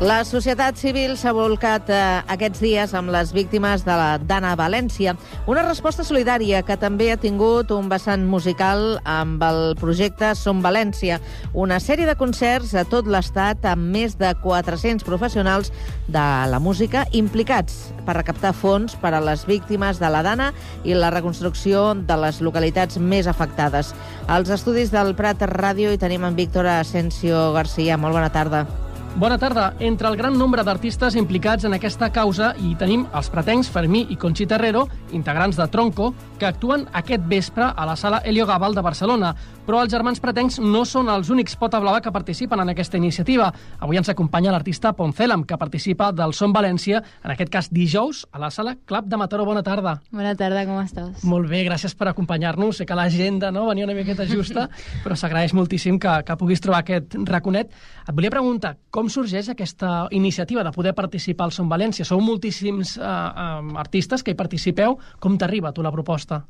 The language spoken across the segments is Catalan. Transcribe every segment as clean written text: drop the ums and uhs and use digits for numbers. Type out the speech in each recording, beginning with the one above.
La societat civil s'ha volcat aquests dies amb les víctimes de la Dana a València. Una resposta solidària que també ha tingut un vessant musical amb el projecte Som València, una sèrie de concerts a tot l'estat amb més de 400 professionals de la música implicats per recaptar fons per a les víctimes de la Dana i la reconstrucció de les localitats més afectades. Als estudis del Prat Ràdio hi tenim en Víctor Asensio García. Molt bona tarda. Bona tarda. Entre el gran nombre d'artistes implicats en aquesta causa hi tenim els pretencs Fermí i Conxita Herrero, integrants de Tronco, que actuen aquest vespre a la sala Helio Gabal de Barcelona. Però els germans pretencs no són els únics pota blava que participen en aquesta iniciativa. Avui ens acompanya l'artista Poncelam, que participa del Som València, en aquest cas dijous, a la sala Club de Mataró. Bona tarda. Bona tarda, com estàs? Molt bé, gràcies per acompanyar-nos. Sé que l'agenda venia una miqueta justa, però s'agraeix moltíssim que puguis trobar aquest raconet. Et volia preguntar, com sorgeix aquesta iniciativa de poder participar al Som València? Sou moltíssims artistes que hi participeu. Com t'arriba a tu la proposta?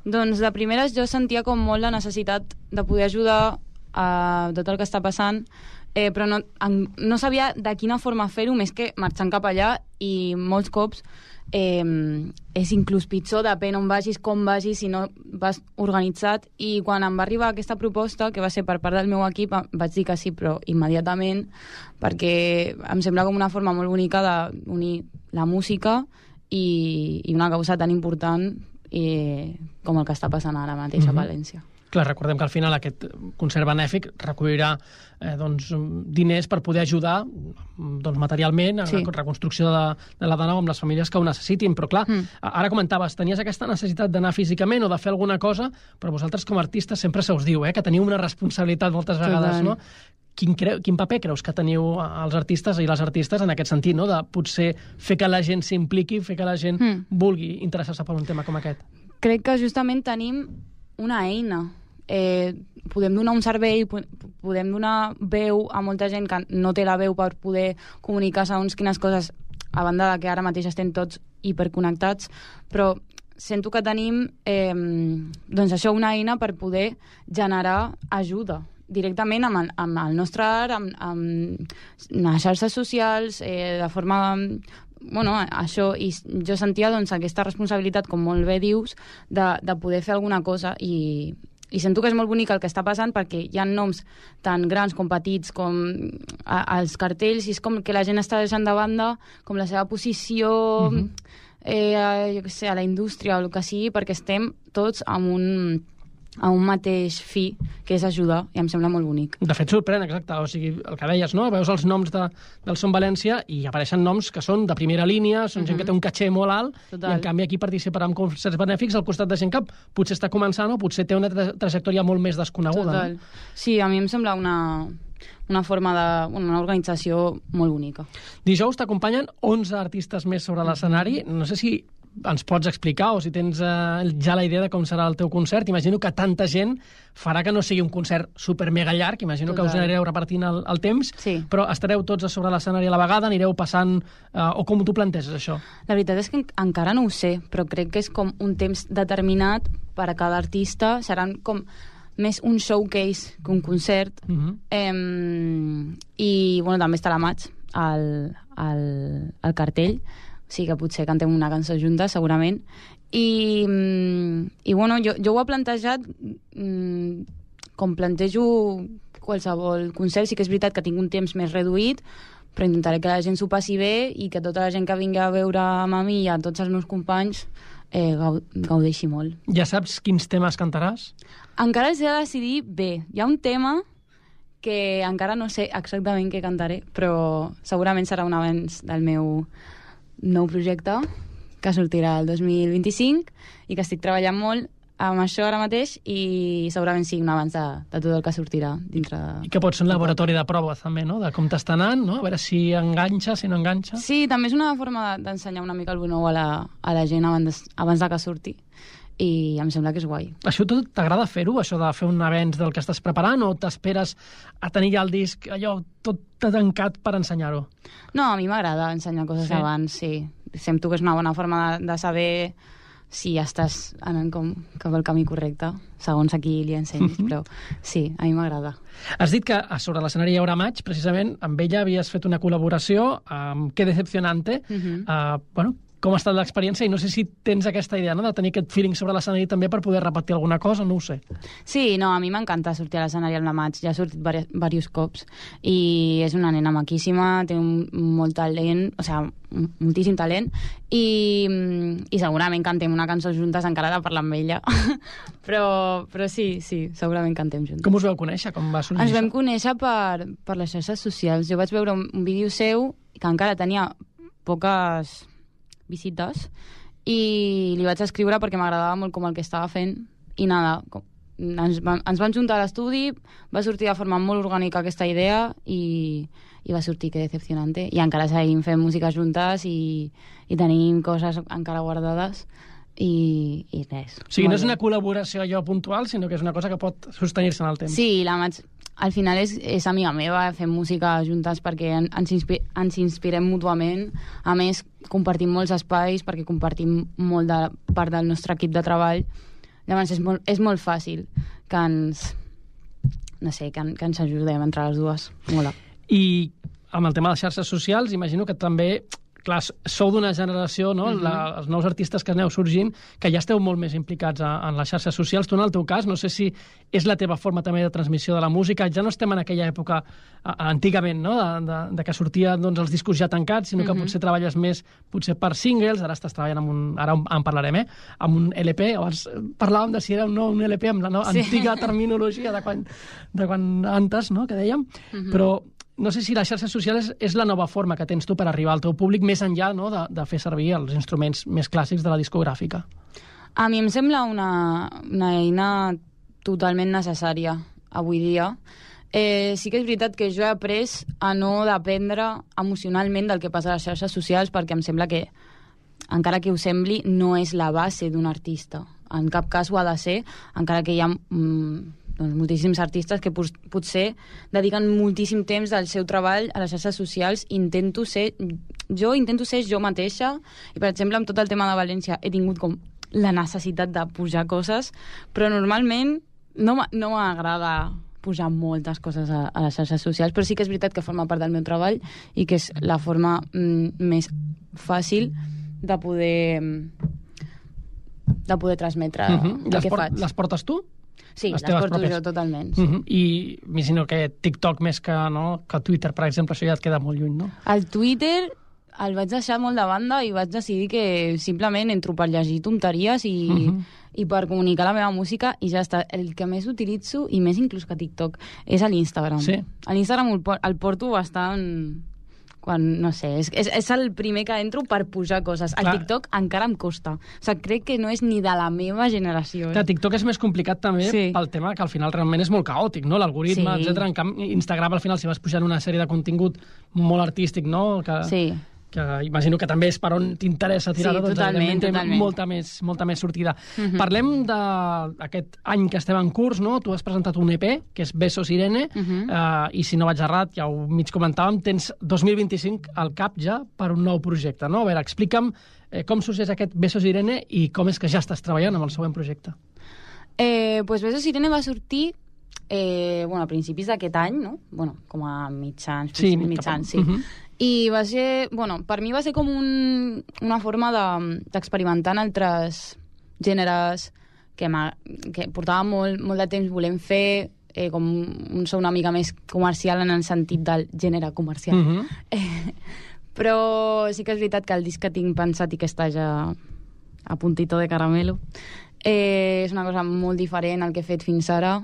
Doncs de primeres jo sentia com molt la necessitat de poder ajudar a tot el que està passant, però no sabia de quina forma fer-ho, més que marxant cap allà, i molts cops és inclús pitjor, depèn on vagis, com vagis, si no vas organitzat. I quan em va arribar aquesta proposta, que va ser per part del meu equip, vaig dir que sí, però immediatament, perquè em sembla com una forma molt bonica d'unir la música i una causa tan important com el que està passant ara mateix a València. Clar, recordem que al final aquest concert benèfic recollirà diners per poder ajudar materialment a la reconstrucció de la Dana amb les famílies que ho necessitin. Però clar, ara comentaves, tenies aquesta necessitat d'anar físicament o de fer alguna cosa, però vosaltres com a artistes sempre se us diu que teniu una responsabilitat moltes vegades, no? Quin paper creus que teniu els artistes i les artistes en aquest sentit, no? De potser fer que la gent s'impliqui, fer que la gent vulgui interessar-se per un tema com aquest? Crec que justament tenim una eina. Podem donar un servei, podem donar veu a molta gent que no té la veu per poder comunicar segons quines coses, a banda de que ara mateix estem tots hiperconnectats, però sento que tenim doncs això, una eina per poder generar ajuda directament amb el nostre art, amb les xarxes socials, de forma... això, i jo sentia aquesta responsabilitat, com molt bé dius, de poder fer alguna cosa, i sento que és molt bonic el que està passant, perquè hi ha noms tan grans com petits, com els cartells, i és com que la gent està deixant de banda com la seva posició jo què sé, a la indústria o el que sigui, perquè estem tots amb un mateix fi, que és ajudar, i em sembla molt bonic. De fet, sorprèn, exacte. O sigui, el que deies, no? Veus els noms del Som València i apareixen noms que són de primera línia, són gent que té un caché molt alt, i en canvi aquí participarà en concerts benèfics al costat de gent que potser està començant o potser té una trajectòria molt més desconeguda. Total. No? Sí, a mi em sembla una forma una organització molt bonica. Dijous t'acompanyen 11 artistes més sobre l'escenari. No sé si ens pots explicar o si tens ja la idea de com serà el teu concert. Imagino que tanta gent farà que no sigui un concert super mega llarg, imagino que us anireu repartint el temps, però estareu tots a sobre l'escenari a la vegada, anireu passant, o com t'ho planteges això? La veritat és que encara no ho sé, però crec que és com un temps determinat per a cada artista, seran com més un showcase que un concert, i també estarà Maig al cartell, o sigui que potser cantem una cançó juntes, segurament. I jo ho he plantejat com plantejo qualsevol concert. Sí que és veritat que tinc un temps més reduït, però intentaré que la gent s'ho passi bé i que tota la gent que vingui a veure amb mi i a tots els meus companys gaudeixi molt. Ja saps quins temes cantaràs? Encara els he de decidir bé. Hi ha un tema que encara no sé exactament què cantaré, però segurament serà un avanç del meu nou projecte que sortirà el 2025 i que estic treballant molt amb això ara mateix, i segurament sí, un abans de tot el que sortirà dintre de... I que pot ser un laboratori de proves també, no? De com t'està anant, no? A veure si enganxa, si no enganxa. Sí, també és una forma d'ensenyar una mica el nou a la gent abans de que surti, i em sembla que és guai. Això tot t'agrada fer-ho, això de fer un avenç del que estàs preparant, o t'esperes a tenir ja el disc allò tot tancat per ensenyar-ho? No, a mi m'agrada ensenyar coses abans, sí. Sento que és una bona forma de saber si estàs anant cap al camí correcte, segons a qui li ensenyis, però sí, a mi m'agrada. Has dit que sobre l'escenari Hi haurà maig, precisament, amb ella havies fet una col·laboració amb Qué Decepcionante. Com ha estat l'experiència? I no sé si tens aquesta idea, no?, de tenir aquest feeling sobre l'escenari també per poder repetir alguna cosa, no ho sé. Sí, no, a mi m'encanta sortir a l'escenari amb la Maig, ja ha sortit diversos cops, i és una nena maquíssima, té molt talent, o sigui, moltíssim talent, i segurament cantem una cançó juntes, encara de parlar amb ella. però sí, segurament cantem juntes. Com us vau conèixer? Com va sorgir? Ens vam conèixer per les xarxes socials. Jo vaig veure un vídeo seu que encara tenia poques visites i li vaig escriure perquè m'agradava molt com el que estava fent i nada, ens vam juntar a l'estudi, va sortir de forma molt orgànica aquesta idea i va sortir Qué Decepcionante, i encara seguim fent música juntes i tenim coses encara guardades i res. O sigui, no és una col·laboració allò puntual, sinó que és una cosa que pot sostenir-se en el temps. Sí, la Maig al final és amiga meva, fem música juntes perquè ens inspirem mútuament. A més, compartim molts espais perquè compartim molt de part del nostre equip de treball. Llavors és molt fàcil que ens ajudem entre les dues. Mola. I amb el tema de les xarxes socials, imagino que també, clar, sou d'una generació, no? Els nous artistes que aneu sorgint, que ja esteu molt més implicats en les xarxes socials. Tu, en el teu cas, no sé si és la teva forma també de transmissió de la música. Ja no estem en aquella època, antigament, no?, de que sortien els discos ja tancats, sinó que potser treballes més potser per singles. Ara estàs treballant ara en parlarem, amb un LP. Abans parlàvem de si era o no un LP, amb la antiga terminologia de quan antes, no?, que dèiem. Però no sé si les xarxes socials és la nova forma que tens tu per arribar al teu públic, més enllà, no?, de fer servir els instruments més clàssics de la discogràfica. A mi em sembla una eina totalment necessària avui dia. Sí que és veritat que jo he après a no dependre emocionalment del que passa a les xarxes socials, perquè em sembla que, encara que ho sembli, no és la base d'un artista. En cap cas ho ha de ser, encara que hi ha moltíssims artistes que potser dediquen moltíssim temps del seu treball a les xarxes socials. Intento ser jo mateixa, i per exemple amb tot el tema de València he tingut com la necessitat de pujar coses, però normalment no m'agrada pujar moltes coses a les xarxes socials, però sí que és veritat que forma part del meu treball i que és la forma més fàcil de poder transmetre el que faig. Les portes tu? Sí, les porto jo totalment. Sí. I m'imagino que TikTok més que Twitter, per exemple, això ja et queda molt lluny, no? El Twitter el vaig deixar molt de banda i vaig decidir que simplement entro per llegir tonteries i per comunicar la meva música i ja està. El que més utilitzo, i més inclús que TikTok, és a l'Instagram. Sí. A l'Instagram el porto bastant... no sé, és el primer que entro per pujar coses. El TikTok encara em costa. O sigui, crec que no és ni de la meva generació. Clar, TikTok és més complicat també pel tema que al final realment és molt caòtic, no? L'algoritme, etcètera. En canvi, Instagram, al final, si vas pujant una sèrie de contingut molt artístic, no? Que imagino que també és per on t'interessa tirar-ho, doncs totalment. Molta més sortida. Parlem d'aquest any que estem en curs, no? Tu has presentat un EP, que és Besos Irene, i si no vaig errat, ja ho mig comentàvem, tens 2025 al cap ja per un nou projecte, no? A veure, explica'm com sorgeix aquest Besos Irene i com és que ja estàs treballant amb el següent projecte. Pues Besos Irene va sortir a principis d'aquest any, no? Com a mitjans. Sí. I va ser, per mi va ser com una forma d'experimentar en altres gèneres que portava molt de temps volent fer, com un so una mica més comercial en el sentit del gènere comercial. Però sí que és veritat que el disc que tinc pensat i que està ja a puntito de caramelo és una cosa molt diferent al que he fet fins ara,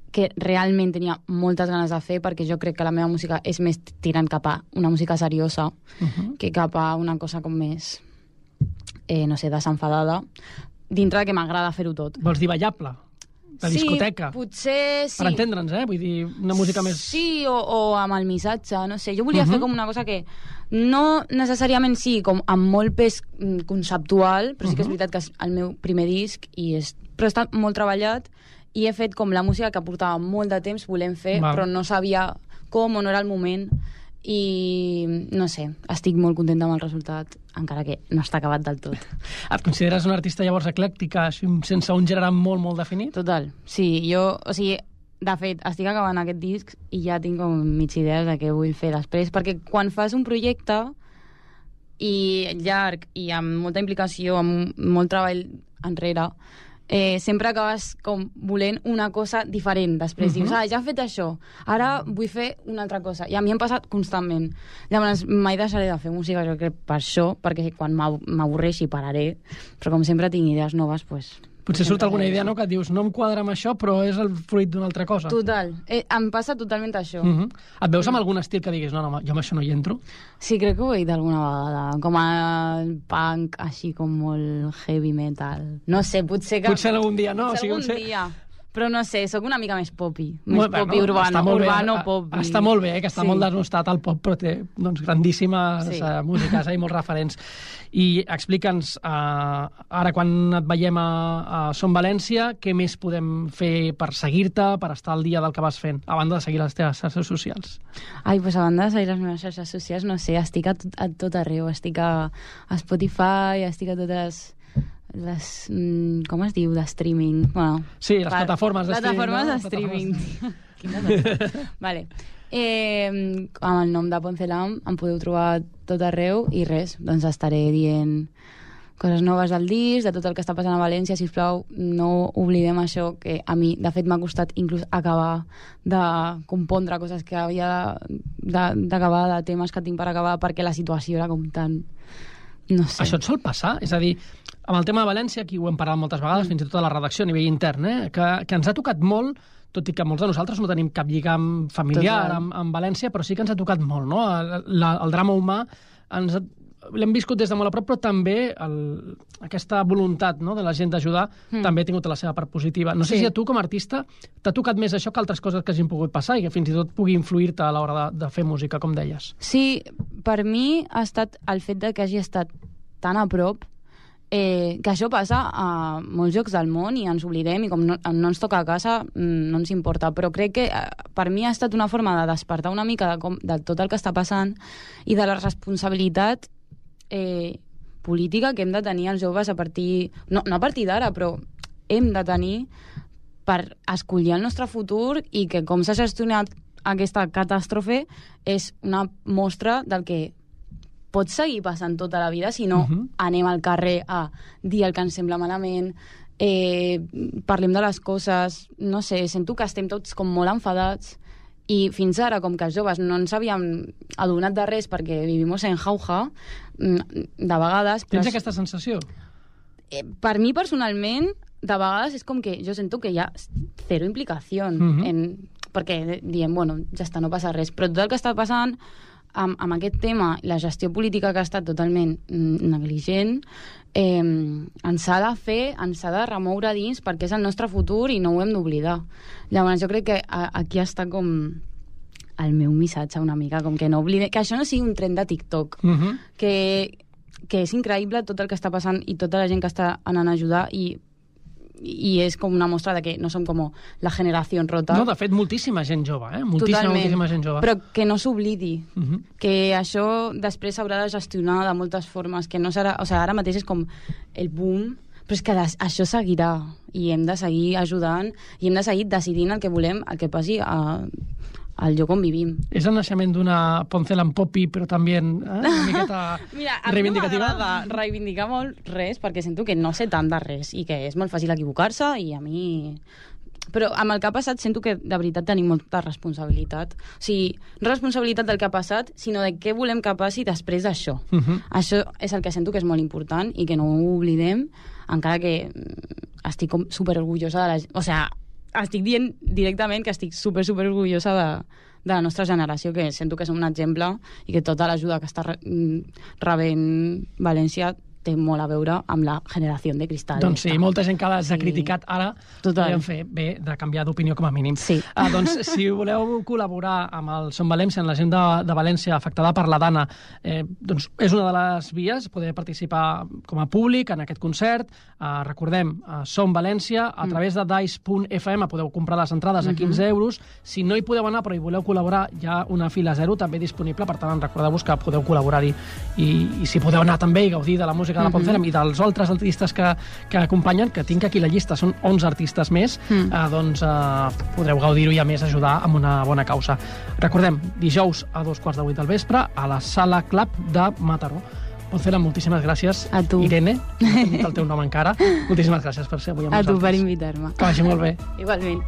que realment tenia moltes ganes de fer, perquè jo crec que la meva música és més tirant cap a una música seriosa que cap a una cosa com més desenfadada, dintre que m'agrada fer-ho tot. Vols dir ballable? De discoteca? Sí, potser sí. Per entendre'ns, Vull dir, una música més... Sí, o amb el missatge, no sé. Jo volia fer com una cosa que no necessàriament com amb molt pes conceptual, però sí que és veritat que és el meu primer disc, però està molt treballat, i he fet com la música que portava molt de temps volent fer, però no sabia com o no era el moment, i no sé, estic molt contenta amb el resultat, encara que no està acabat del tot. Et consideres una artista llavors eclèctica, sense un gènere molt, molt definit? Total, sí, de fet, estic acabant aquest disc i ja tinc com mig idees de què vull fer després, perquè quan fas un projecte i llarg i amb molta implicació, amb molt treball enrere, sempre acabes com volent una cosa diferent després. Dius, ja he fet això, ara vull fer una altra cosa. I a mi em passa constantment. Llavors mai deixaré de fer música, jo crec, per això, perquè quan m'avorreixi pararé, però com sempre tinc idees noves, doncs... Potser surt alguna idea, no?, que et dius, no em quadra amb això, però és el fruit d'una altra cosa. Total. Em passa totalment això. Et veus amb algun estil que diguis, no, jo amb això no hi entro? Sí, crec que ho he dit alguna vegada. Com a punk, així com molt heavy metal. No sé, potser que... Potser algun dia, no? Potser algun dia. Però no sé, sóc una mica més popi. Més popi urbano, popi. Està molt bé, que està molt desnostat el pop, però té grandíssimes músiques i molts referents. I explica'ns, ara quan et veiem a Som València, què més podem fer per seguir-te, per estar al dia del que vas fent, a banda de seguir les teves xarxes socials? Ai, doncs a banda de seguir les meves xarxes socials, no sé, estic a tot arreu, estic a Spotify, estic a totes... com es diu, de streaming? Bueno, sí, les plataformes de streaming. Plataformes de streaming. Vale. Amb el nom de Poncelam em podeu trobar tot arreu i res, doncs estaré dient coses noves del disc, de tot el que està passant a València. Sisplau, no oblidem això, que a mi, de fet, m'ha costat inclús acabar de compondre coses que havia d'acabar, de temes que tinc per acabar, perquè la situació era com tan... No sé. Això et sol passar? És a dir, amb el tema de València, aquí ho hem parlat moltes vegades, fins i tot a la redacció a nivell intern, que ens ha tocat molt, tot i que molts de nosaltres no tenim cap lligam familiar amb València, però sí que ens ha tocat molt, no? El drama humà l'hem viscut des de molt a prop, però també aquesta voluntat, no?, de la gent d'ajudar també ha tingut la seva part positiva. No sé si a tu, com a artista, t'ha tocat més això que altres coses que hagin pogut passar i que fins i tot pugui influir-te a l'hora de fer música, com deies. Sí, per mi ha estat el fet de que hagi estat tan a prop, que això passa a molts llocs del món i ens oblidem, i com no ens toca a casa no ens importa, però crec que per mi ha estat una forma de despertar una mica de tot el que està passant i de la responsabilitat política que hem de tenir els joves a partir... No a partir d'ara, però hem de tenir per escollir el nostre futur, i que com s'ha gestionat aquesta catàstrofe és una mostra del que pot seguir passant tota la vida si no anem al carrer a dir el que ens sembla malament, parlem de les coses, no sé, sento que estem tots com molt enfadats, i fins ara, com que els joves no ens havíem adonat de res perquè vivim en jauja, de vegades... Tens aquesta sensació? Per mi, personalment, de vegades és com que jo sento que hi ha zero implicació perquè diem, bueno, ja està, no passa res, però tot el que està passant amb aquest tema, la gestió política que ha estat totalment negligent, ens ha de fer, ens ha de remoure dins, perquè és el nostre futur i no ho hem d'oblidar. Llavors jo crec que aquí està com el meu missatge una mica, com que no oblidem, que això no sigui un trend de TikTok, que és increïble tot el que està passant i tota la gent que està anant a ajudar, i és com una mostra de que no som com la generació rota. No, de fet, moltíssima gent jove, moltíssima gent jove. Però que no s'oblidi, que això després s'haurà de gestionar de moltes formes, que no serà... O sigui, ara mateix és com el boom, però és que això seguirà, i hem de seguir ajudant, i hem de seguir decidint el que volem, el que passi al lloc on vivim. És el naixement d'una Poncelam popi, però també una miqueta reivindicativa? Mira, a mi no m'agrada reivindicar molt res, perquè sento que no sé tant de res, i que és molt fàcil equivocar-se, i a mi... Però amb el que ha passat sento que de veritat tenim molta responsabilitat. O sigui, no responsabilitat del que ha passat, sinó de què volem que passi després d'això. Això és el que sento que és molt important i que no ho oblidem, encara que estic com superorgullosa de la gent. O sigui, estic dient directament que estic superorgullosa de la nostra generació, que sento que som un exemple i que tota l'ajuda que està rebent València té molt a veure amb la generació de cristal. Doncs sí, molta gent que l'ha criticat ara podem fer bé de canviar d'opinió com a mínim. Sí. Doncs si voleu col·laborar amb el Som València, en la gent de València afectada per la Dana, doncs és una de les vies, poder participar com a públic en aquest concert. Recordem, Som València, a través de dice.fm podeu comprar les entrades a 15 euros. Si no hi podeu anar però hi voleu col·laborar, hi ha una fila zero també disponible, per tant recordeu-vos que podeu col·laborar-hi i si podeu anar també i gaudir de la música de la Pontferm i dels altres artistes que acompanyen, que tinc aquí la llista, són 11 artistes més, doncs podreu gaudir-ho i a més ajudar amb una bona causa. Recordem, dijous a 2:15 del vespre a la Sala Club de Mataró. Pontferm, moltíssimes gràcies. A tu. Irene, no he dit el teu nom encara. Moltíssimes gràcies per ser avui amb nosaltres. A tu per invitar-me. Que vagi molt bé. Igualment.